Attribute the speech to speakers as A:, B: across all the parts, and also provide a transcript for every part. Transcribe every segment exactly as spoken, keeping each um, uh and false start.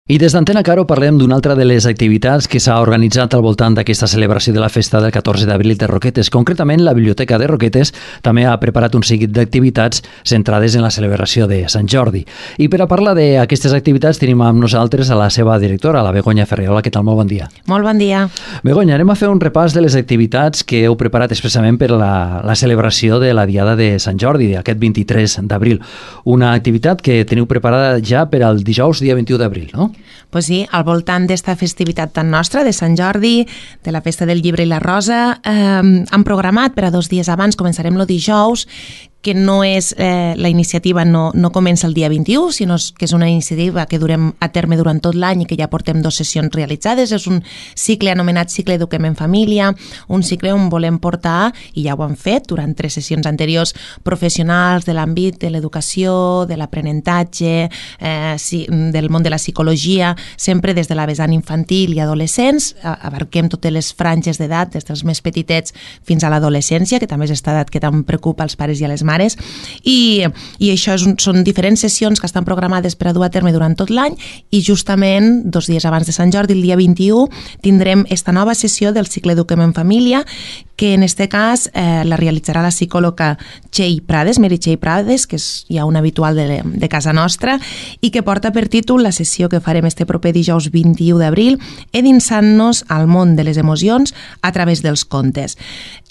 A: I des d'Antena Caro parlem d'una altra de les activitats que s'ha organitzat al voltant d'aquesta celebració de la festa del catorze d'abril de Roquetes. Concretament, la Biblioteca de Roquetes també ha preparat un seguit d'activitats centrades en la celebració de Sant Jordi. I per a parlar d'aquestes activitats tenim amb nosaltres a la seva directora, la Begoña Ferrer. Hola, què tal? Molt bon dia.
B: Molt bon dia.
A: Begoña, anem a fer un repàs de les activitats que heu preparat expressament per la, la celebració de la Diada de Sant Jordi, aquest vint-i-tres d'abril. Una activitat que teniu preparada ja per al dijous, dia vint-i-u d'abril, no?
B: Pues sí, al voltant d'esta festivitat tan nostra, de Sant Jordi, de la Festa del Llibre i la Rosa, eh, han programat per a dos dies abans, començarem el dijous, que no és, eh, la iniciativa no, no comença el dia vint-i-u, sinó que és una iniciativa que durem a terme durant tot l'any i que ja portem dues sessions realitzades. És un cicle anomenat Cicle Eduquem en Família, un cicle on volem portar, i ja ho han fet durant tres sessions anteriors, professionals de l'àmbit de l'educació, de l'aprenentatge, eh, del món de la psicologia, sempre des de la vessant infantil i adolescents. Abarquem totes les franges d'edat, des dels més petitets fins a l'adolescència, que també és esta edat que tant preocupa als pares i a les mares. I, i això és un, són diferents sessions que estan programades per a dur a terme durant tot l'any, i justament dos dies abans de Sant Jordi, el dia vint-i-u, tindrem esta nova sessió del cicle Eduquem en Família, que en este cas eh, la realitzarà la psicòloga Txell Prades, Mary Txell Prades, que és ja un habitual de, de casa nostra, i que porta per títol la sessió que farem este proper dijous vint-i-u d'abril, endinsant-nos al món de les emocions a través dels contes.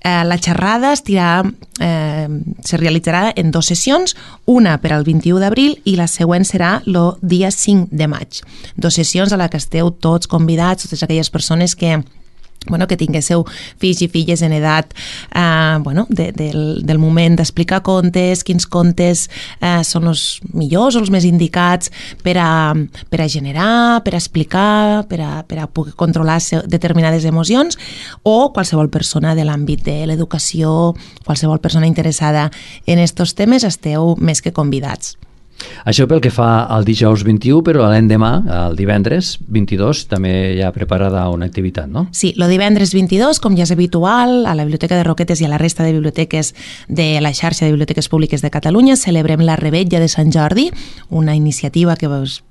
B: Eh, la xerrada estirà, eh, se realitzarà en dues sessions, una per al vint-i-u d'abril i la següent serà el dia cinc de maig. Dues sessions a la que esteu tots convidats, totes aquelles persones que Bueno, que tinguéssiu fills i filles en edat eh, bueno, de, del, del moment d'explicar contes, quins contes eh, són els millors o els més indicats per a, per a generar, per a explicar, per a, per a poder controlar determinades emocions, o qualsevol persona de l'àmbit de l'educació, qualsevol persona interessada en aquests temes, esteu més que convidats.
A: Això pel que fa al dijous vint-i-u, però l'endemà, el divendres vint-i-dos, també hi ha preparada una activitat, no?
B: Sí, el divendres vint-i-dos, com ja és habitual, a la Biblioteca de Roquetes i a la resta de biblioteques de la xarxa de biblioteques públiques de Catalunya, celebrem la Revetlla de Sant Jordi, una iniciativa que pues,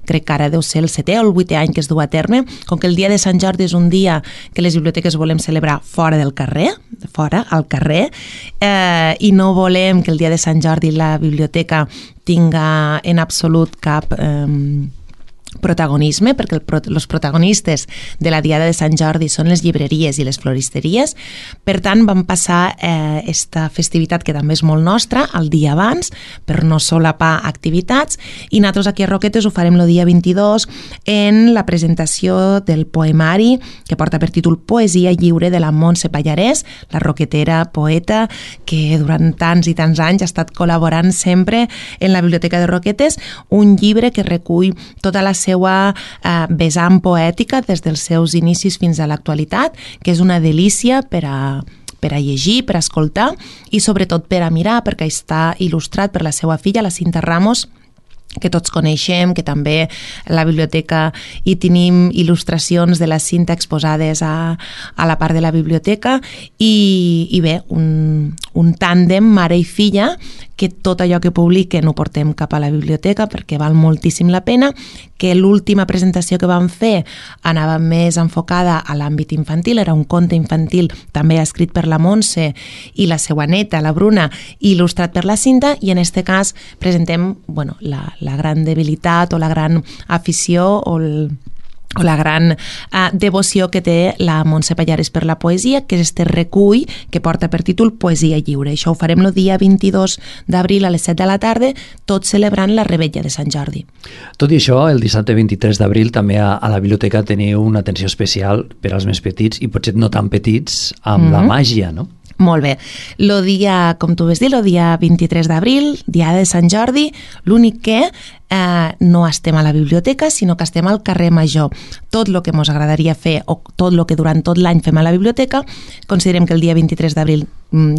B: crec que ara deu ser el setè o el vuitè any que es du a terme. Com que el dia de Sant Jordi és un dia que les biblioteques volem celebrar fora del carrer, fora, al carrer, eh, i no volem que el dia de Sant Jordi la biblioteca tinga en absolut cap eh, protagonisme, perquè els protagonistes de la Diada de Sant Jordi són les llibreries i les floristeries. Per tant, vam passar eh, esta festivitat, que també és molt nostra, el dia abans, per no solapar activitats, i nosaltres aquí a Roquetes ho farem el dia vint-i-dos en la presentació del poemari que porta per títol Poesia lliure, de la Montse Pallarès, la roquetera poeta que durant tants i tants anys ha estat col·laborant sempre en la Biblioteca de Roquetes, un llibre que recull tota la seva eh, vessant poètica des dels seus inicis fins a l'actualitat, que és una delícia per a, per a llegir, per a escoltar i sobretot per a mirar, perquè està il·lustrat per la seva filla, la Cinta Ramos, que tots coneixem, que també a la biblioteca hi tenim il·lustracions de la Cinta exposades a, a la part de la biblioteca, i, i bé, un, un tàndem mare i filla que tot allò que publiquen ho portem cap a la biblioteca perquè val moltíssim la pena, que l'última presentació que vam fer anava més enfocada a l'àmbit infantil, era un conte infantil també escrit per la Montse i la seva neta, la Bruna, i il·lustrat per la Cinta, i en aquest cas presentem bueno, la, la gran debilitat o la gran afició o el o la gran uh, devoció que té la Montse Pallarès per la poesia, que és este recull que porta per títol Poesia lliure. Això ho farem el dia vint-i-dos d'abril a les set de la tarda, tot celebrant la Revetlla de Sant Jordi.
A: Tot i això, el dissabte vint-i-tres d'abril també a, a la biblioteca teniu una atenció especial per als més petits, i potser no tan petits, amb mm-hmm. la màgia, no?
B: Molt bé. El dia, com tu vas dir, el dia vint-i-tres d'abril, dia de Sant Jordi, l'únic que eh, no estem a la biblioteca, sinó que estem al carrer Major. Tot el que ens agradaria fer, o tot el que durant tot l'any fem a la biblioteca, considerem que el dia vint-i-tres d'abril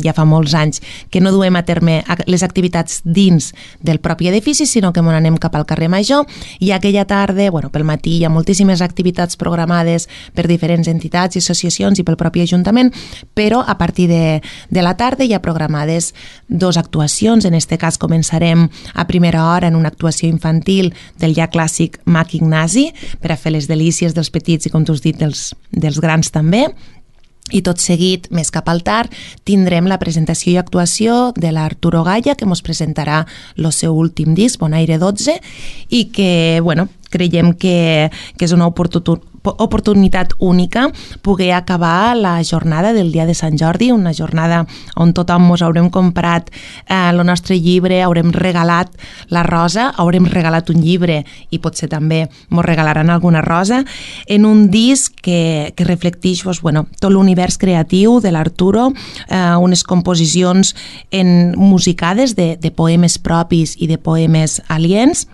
B: ja fa molts anys que no duem a terme les activitats dins del propi edifici, sinó que m'on anem cap al carrer Major, i aquella tarda, bueno, pel matí hi ha moltíssimes activitats programades per diferents entitats i associacions i pel propi Ajuntament, però a partir de, de la tarda hi ha programades dos actuacions. En este cas començarem a primera hora en una actuació infantil del ja clàssic Mac Ignasi, per a fer les delícies dels petits i, com tu has dit, dels, dels grans també. I tot seguit, més cap al tard, tindrem la presentació i actuació de l'Arturo Gaya, que ens presentarà el seu últim disc, Bonaire dotze, i que, bueno, creiem que, que és una oportunitat oportunitat única poder acabar la jornada del dia de Sant Jordi, una jornada on tothom ens haurem comprat eh, el nostre llibre, haurem regalat la rosa, haurem regalat un llibre i potser també ens regalaran alguna rosa, en un disc que, que reflecteix pues, bueno, tot l'univers creatiu de l'Arturo, eh, unes composicions en, musicades de, de poemes propis i de poemes aliens,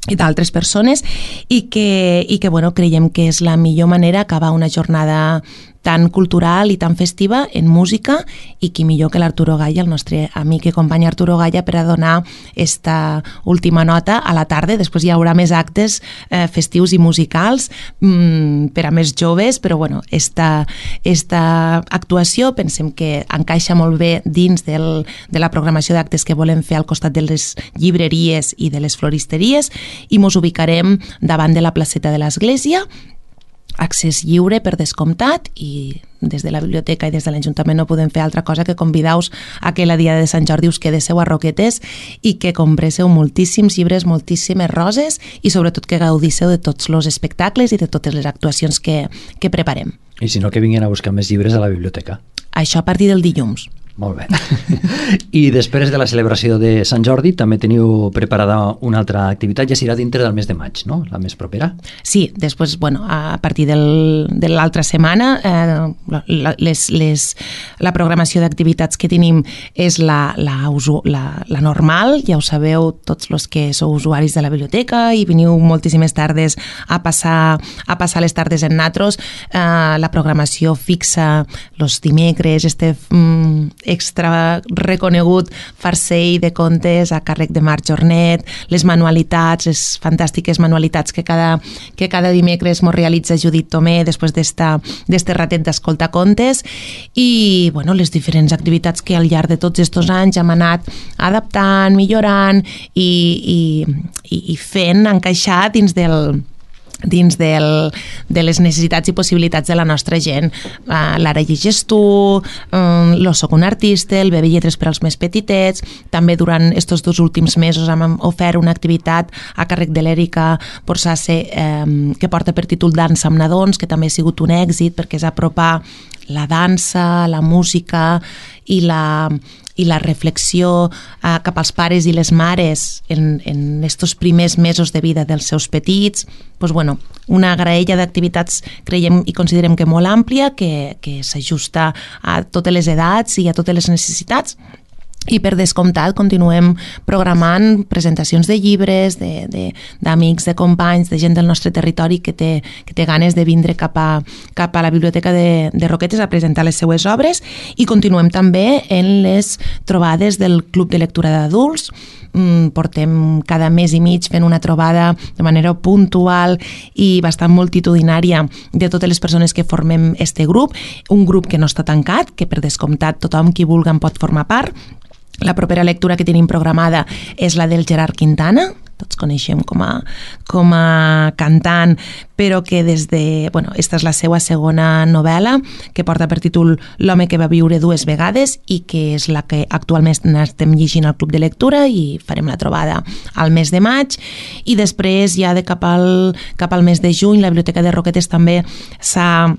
B: i d'altres persones, i que, i que bueno, creiem que és la millor manera d'acabar una jornada tan cultural i tan festiva en música, i qui millor que l'Arturo Gaya, el nostre amic i company Arturo Gaya, per a donar esta última nota a la tarda. Després hi haurà més actes eh, festius i musicals mmm, per a més joves, però bueno, esta, esta actuació pensem que encaixa molt bé dins del, de la programació d'actes que volem fer al costat de les llibreries i de les floristeries, i mos ubicarem davant de la placeta de l'església, accés lliure per descomptat, i des de la biblioteca i des de l'Ajuntament no podem fer altra cosa que convidar-vos a que la dia de Sant Jordi us quedéssiu a Roquetes i que compresseu moltíssims llibres, moltíssimes roses, i sobretot que gaudíssiu de tots els espectacles i de totes les actuacions que, que preparem.
A: I si no, que vinguin a buscar més llibres a la biblioteca.
B: Això a partir del dilluns.
A: Molt bé. I després de la celebració de Sant Jordi també teniu preparada una altra activitat, ja serà dintre del mes de maig, no? La més propera?
B: Sí, després, bueno, a partir del, de l'altra setmana, eh, la, les, les, la programació d'activitats que tenim és la, la, la, la normal, ja ho sabeu tots els que sou usuaris de la biblioteca i veniu moltíssimes tardes a passar, a passar les tardes en natros. Eh, la programació fixa els dimecres, este mm, extra reconegut farcell de contes a càrrec de Marc Jornet, les manualitats, les fantàstiques manualitats que cada, que cada dimecres mos realitza Judit Tomé després d'este ratet d'escoltar contes, i bueno, les diferents activitats que al llarg de tots aquests anys hem anat adaptant, millorant i, i, i fent encaixar dins del dins del, de les necessitats i possibilitats de la nostra gent. Uh, L'Ara llegeix tu, um, lo soc un artista, el Bebe Lletres per als més petitets. També durant aquests dos últims mesos hem ofert una activitat a càrrec de l'Èrica Borsace um, que porta per títol Dansa amb nadons, que també ha sigut un èxit perquè és apropar la dansa, la música i la, i la reflexió eh, cap als pares i les mares en, en estos primers mesos de vida dels seus petits. Pues bueno, una graella d'activitats creiem i considerem que molt àmplia, que, que s'ajusta a totes les edats i a totes les necessitats. I per descomptat continuem programant presentacions de llibres, de, de, d'amics, de companys, de gent del nostre territori que té, que té ganes de vindre cap a, cap a la biblioteca de, de Roquetes a presentar les seues obres, i continuem també en les trobades del Club de Lectura d'Adults. Portem cada mes i mig fent una trobada de manera puntual i bastant multitudinària de totes les persones que formem este grup, un grup que no està tancat, que per descomptat tothom qui vulgui en pot formar part. La propera lectura que tenim programada és la del Gerard Quintana, tots coneixem com a, com a cantant, però que des de... Bueno, esta és la seva segona novel·la, que porta per títol L'home que va viure dues vegades, i que és la que actualment estem llegint al Club de Lectura, i farem la trobada al mes de maig. I després, ja de cap al, cap al mes de juny, la Biblioteca de Roquetes també s'ha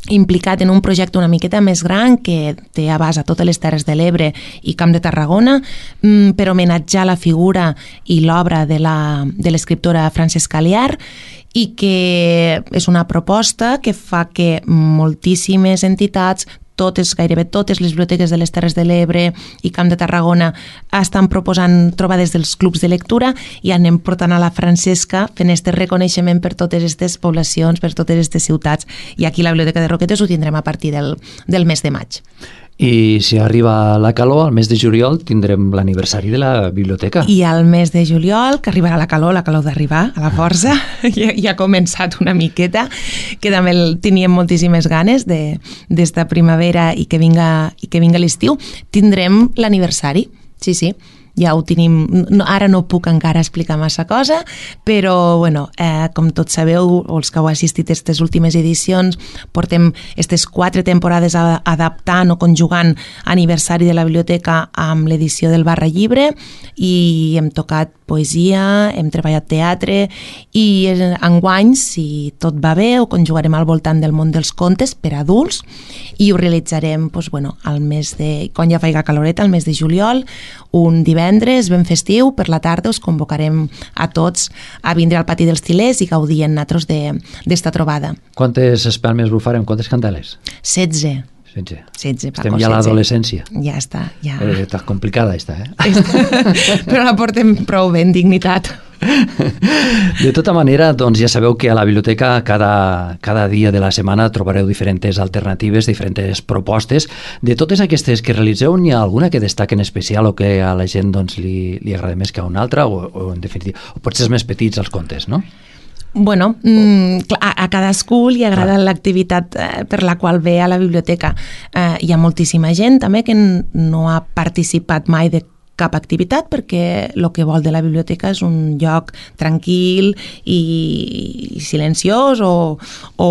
B: implicat en un projecte una miqueta més gran que té abast a totes les Terres de l'Ebre i Camp de Tarragona, per homenatjar la figura i l'obra de la, de l'escriptora Francesca Liar, i que és una proposta que fa que moltíssimes entitats, totes, gairebé totes les biblioteques de les Terres de l'Ebre i Camp de Tarragona estan proposant trobades dels clubs de lectura, i anem portant a la Francesca fent este reconeixement per totes aquestes poblacions, per totes aquestes ciutats, i aquí a la Biblioteca de Roquetes ho tindrem a partir del, del mes de maig.
A: I si arriba la calor, al mes de juliol tindrem l'aniversari de la biblioteca.
B: I al mes de juliol, que arribarà la calor, la calor d'arribar a la força, ja, ja ha començat una miqueta, que també teníem moltíssimes ganes d'esta primavera i que vinga, i que vinga l'estiu, tindrem l'aniversari, sí, sí. Ja ho tenim, no, ara no puc encara explicar massa cosa, però bueno, eh, com tots sabeu, o els que heu assistit a aquestes últimes edicions, portem aquestes quatre temporades a, adaptant o conjugant aniversari de la biblioteca amb l'edició del Barra Llibre, i hem tocat poesia, hem treballat teatre, i enguany, si tot va bé, ho conjugarem al voltant del món dels contes per a adults, i ho realitzarem doncs, bueno, al mes de, quan ja faiga caloreta, al mes de juliol, un divendres ben festiu, per la tarda us convocarem a tots a vindre al Pati dels Til·lers i gaudir en nosaltres d'esta trobada.
A: Quantes espelmes bufarem? Quantes candeles?
B: setze.
A: setze.
B: setze, Paco,
A: Estem ja a l'adolescència.
B: Ja està. Ja.
A: Eh, està complicada, esta, eh?
B: Però la portem prou bé, en dignitat.
A: De tota manera, doncs ja sabeu que a la biblioteca cada, cada dia de la setmana trobareu diferents alternatives, diferents propostes. De totes aquestes que realitzeu, n'hi ha alguna que destaque en especial o que a la gent doncs, li, li agrada més que a una altra, o, o en definitiva, o potser els més petits els contes, no?
B: Bueno, mm, a, a cadascú li agrada l'activitat eh, per la qual ve a la biblioteca. Eh, hi ha moltíssima gent també que no ha participat mai de cap activitat, perquè el que vol de la biblioteca és un lloc tranquil i silenciós o, o,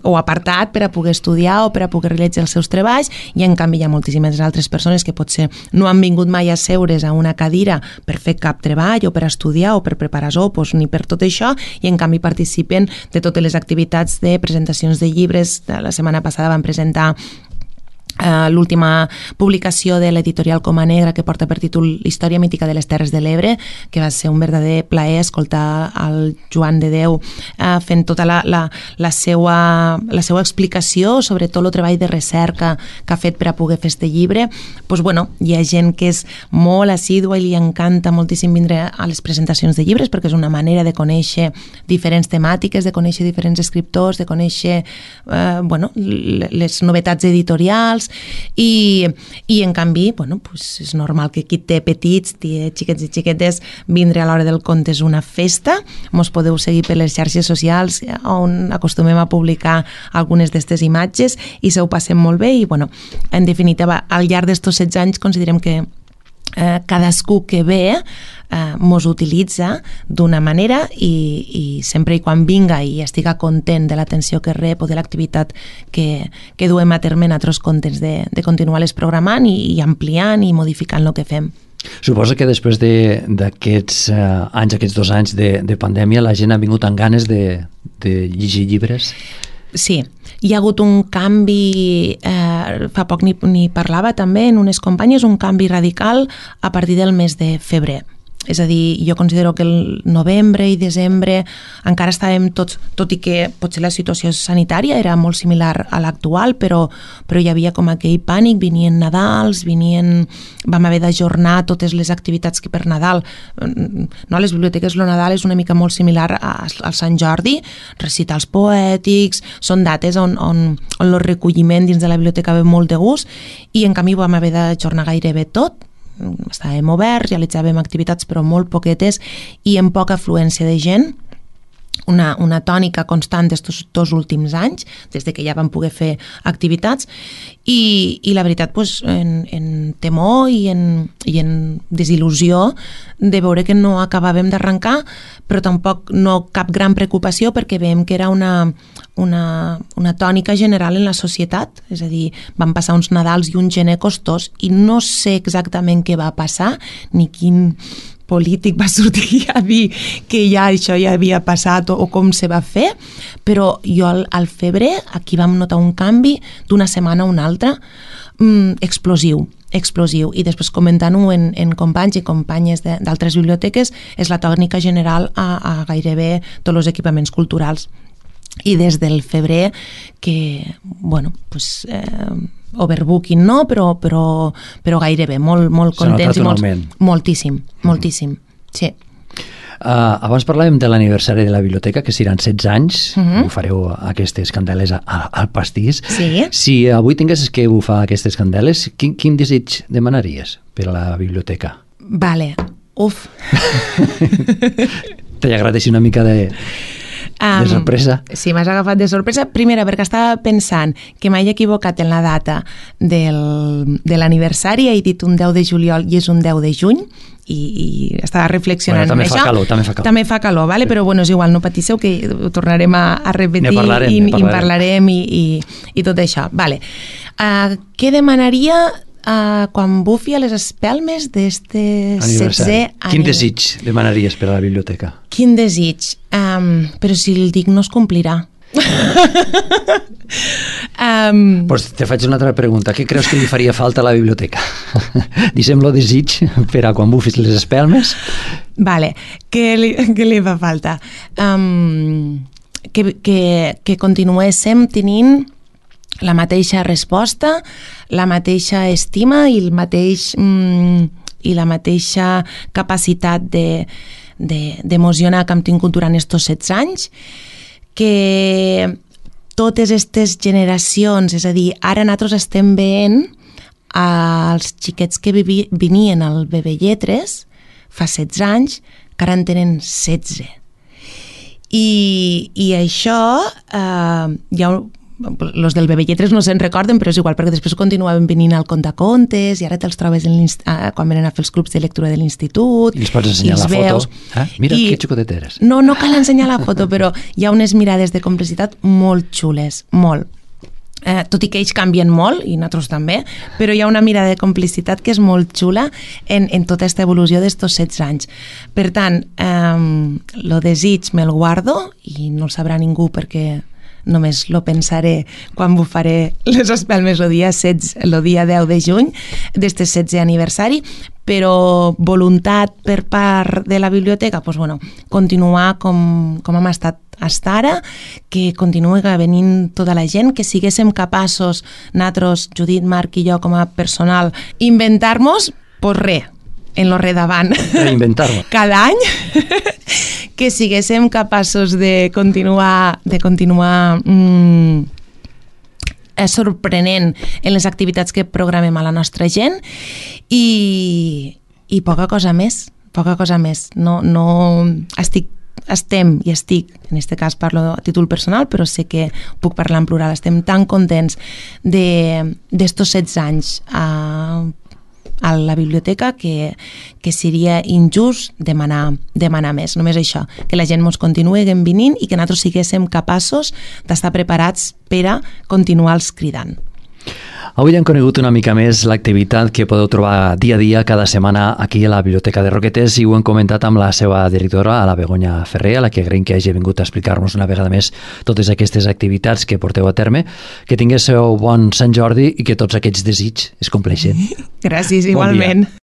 B: o apartat per a poder estudiar o per a poder realitzar els seus treballs, i en canvi hi ha moltíssimes altres persones que potser no han vingut mai a seure's a una cadira per fer cap treball o per estudiar o per preparar sopos ni per tot això, i en canvi participen de totes les activitats de presentacions de llibres. La setmana passada vam presentar Uh, l'última publicació de l'editorial Coma Negra, que porta per títol Història mítica de les Terres de l'Ebre, que va ser un verdader plaer escoltar el Joan de Déu uh, fent tota la, la, la, seva, la seva explicació sobre tot el treball de recerca que ha fet per a poder fer este llibre. Pues, bueno, hi ha gent que és molt assídua i li encanta moltíssim vindre a les presentacions de llibres, perquè és una manera de conèixer diferents temàtiques, de conèixer diferents escriptors, de conèixer uh, bueno, les novetats editorials. I, i en canvi, bueno, pues és normal que qui té petits, té xiquets i xiquetes, vindre a l'hora del conte és una festa. Mos podeu seguir per les xarxes socials on acostumem a publicar algunes d'aquestes imatges i se ho passem molt bé. I bueno, en definitiva, al llarg d'estos setze anys considerem que eh, cadascú que ve eh, mos utilitza d'una manera, i, i sempre i quan vinga i estiga content de l'atenció que rep o de l'activitat que, que duem a terme en altres contes, de, de continuar-les programant i, i ampliant i modificant el que fem.
A: Suposo que després d'aquests de, uh, anys, aquests dos anys de, de pandèmia, la gent ha vingut amb ganes de, de llegir llibres?
B: Sí, hi ha hagut un canvi, eh, fa poc ni, ni parlava també en unes companyes, un canvi radical a partir del mes de febrer. És a dir, jo considero que el novembre i desembre encara estàvem tots, tot i que potser la situació sanitària era molt similar a l'actual, però, però hi havia com aquell pànic, venien Nadals, venien, vam haver d'ajornar totes les activitats que per Nadal, no, a les biblioteques el Nadal és una mica molt similar al Sant Jordi, recitals poètics, són dates on, on, on el recolliment dins de la biblioteca ve molt de gust, i en canvi vam haver d'ajornar gairebé tot. Estàvem oberts, realitzàvem activitats però molt poquetes i amb poca afluència de gent, una, una tònica constant d'estos dos últims anys, des de que ja vam poder fer activitats, i, i la veritat, pues, en, en temor i en, i en desil·lusió de veure que no acabàvem d'arrencar, però tampoc no cap gran preocupació, perquè veiem que era una, una, una tònica general en la societat. És a dir, van passar uns Nadals i un gener costós i no sé exactament què va passar, ni quin polític va sortir a dir que ja això ja havia passat o, o com se va fer, però jo al, al febrer aquí vam notar un canvi d'una setmana a una altra, mmm, explosiu, explosiu, i després comentant-ho en, en companys i companyes d'altres biblioteques, és la tònica general a, a gairebé tots els equipaments culturals. I des del febrer que, bueno, pues, eh, overbooking no, però, però, però gairebé, molt, molt contents i molt, moltíssim, moltíssim, sí.
A: Uh, abans parlàvem de l'aniversari de la biblioteca, que seran setze anys, uh -huh. Bufareu aquestes candeles a, a, al pastís.
B: Sí.
A: Si avui tinguessis que bufar aquestes candeles, quin, quin desig demanaries per a la biblioteca?
B: Vale, uf.
A: T'agradeixi una mica de...
B: Um,
A: de sorpresa.
B: Sí, m'has agafat de sorpresa. Primera, perquè estava pensant que m'he equivocat en la data del, de l'aniversari, he dit un deu de juliol i és un deu de juny, i, i estava reflexionant
A: bueno, també
B: en
A: fa
B: això.
A: Calor, també fa calor.
B: També fa calor, vale? Però bueno, és igual, no patisseu, que ho tornarem a, a repetir
A: parlarem,
B: i, i
A: parlarem.
B: en parlarem i, i, i tot això. Vale. Uh, què demanaria uh, quan bufi a les espelmes d'este setzè any?
A: Quin desig demanaries per a la biblioteca?
B: Quin desig? Um, però si el dic no es complirà. um,
A: pues te faig una altra pregunta. Què creus que li faria falta a la biblioteca? Deixem-lo desig per a quan bufis les espelmes.
B: Vale, què li, què li fa falta? Um, que, que, que continuéssim tenint la mateixa resposta, la mateixa estima i el mateix mm, i la mateixa capacitat de d'emocionar que hem tingut durant estos setze anys, que totes aquestes generacions, és a dir, ara nosaltres estem veient els xiquets que vivi, venien al Bebè Lletres fa setze anys, que ara en tenen setze. I, i això, eh, hi ha els del Bebè Lletres no se'n recorden, però és igual, perquè després continuaven venint al Contacontes i ara te'ls trobes en quan venen a fer els clubs de lectura de l'institut.
A: I els pots ensenyar la
B: veus.
A: foto. Eh? Mira I... que xocotet eres.
B: No, no cal ensenyar la foto, però hi ha unes mirades de complicitat molt xules, molt. Eh, tot i que ells canvien molt, i nosaltres també, però hi ha una mirada de complicitat que és molt xula en, en tota aquesta evolució d'estos setze anys. Per tant, eh, lo desig me'l guardo i no el sabrà ningú perquè només lo pensaré quan bufaré les espelmes el dia, setze, el dia deu de juny d'este setzè aniversari, però voluntat per part de la biblioteca, pues bueno, continuar com, com hem estat fins ara, que continuï venint tota la gent, que siguéssim capaços, nosaltres, Judit, Marc i jo com a personal, inventar-nos, pues res, en lo redavant.
A: Reinventar-lo.
B: Cada any que siguéssim capaços de continuar de continuar mmm, sorprenent en les activitats que programem a la nostra gent i, i poca cosa més, poca cosa més. No, no estic estem i estic, en aquest cas parlo a títol personal, però sé que puc parlar en plural, estem tan contents d'estos setze anys a a la biblioteca que, que seria injust demanar, demanar més. Només això, que la gent ens continuï venint i que nosaltres siguéssim capaços d'estar preparats per a continuar-los cridant.
A: Avui hem conegut una mica més l'activitat que podeu trobar dia a dia, cada setmana, aquí a la Biblioteca de Roquetes, i ho hem comentat amb la seva directora, a la Begoña Ferrer, a la que agraïm que hagi vingut a explicar-nos una vegada més totes aquestes activitats que porteu a terme. Que tinguéssiu bon Sant Jordi i que tots aquests desigs es compleixin.
B: Gràcies, igualment. Bon dia.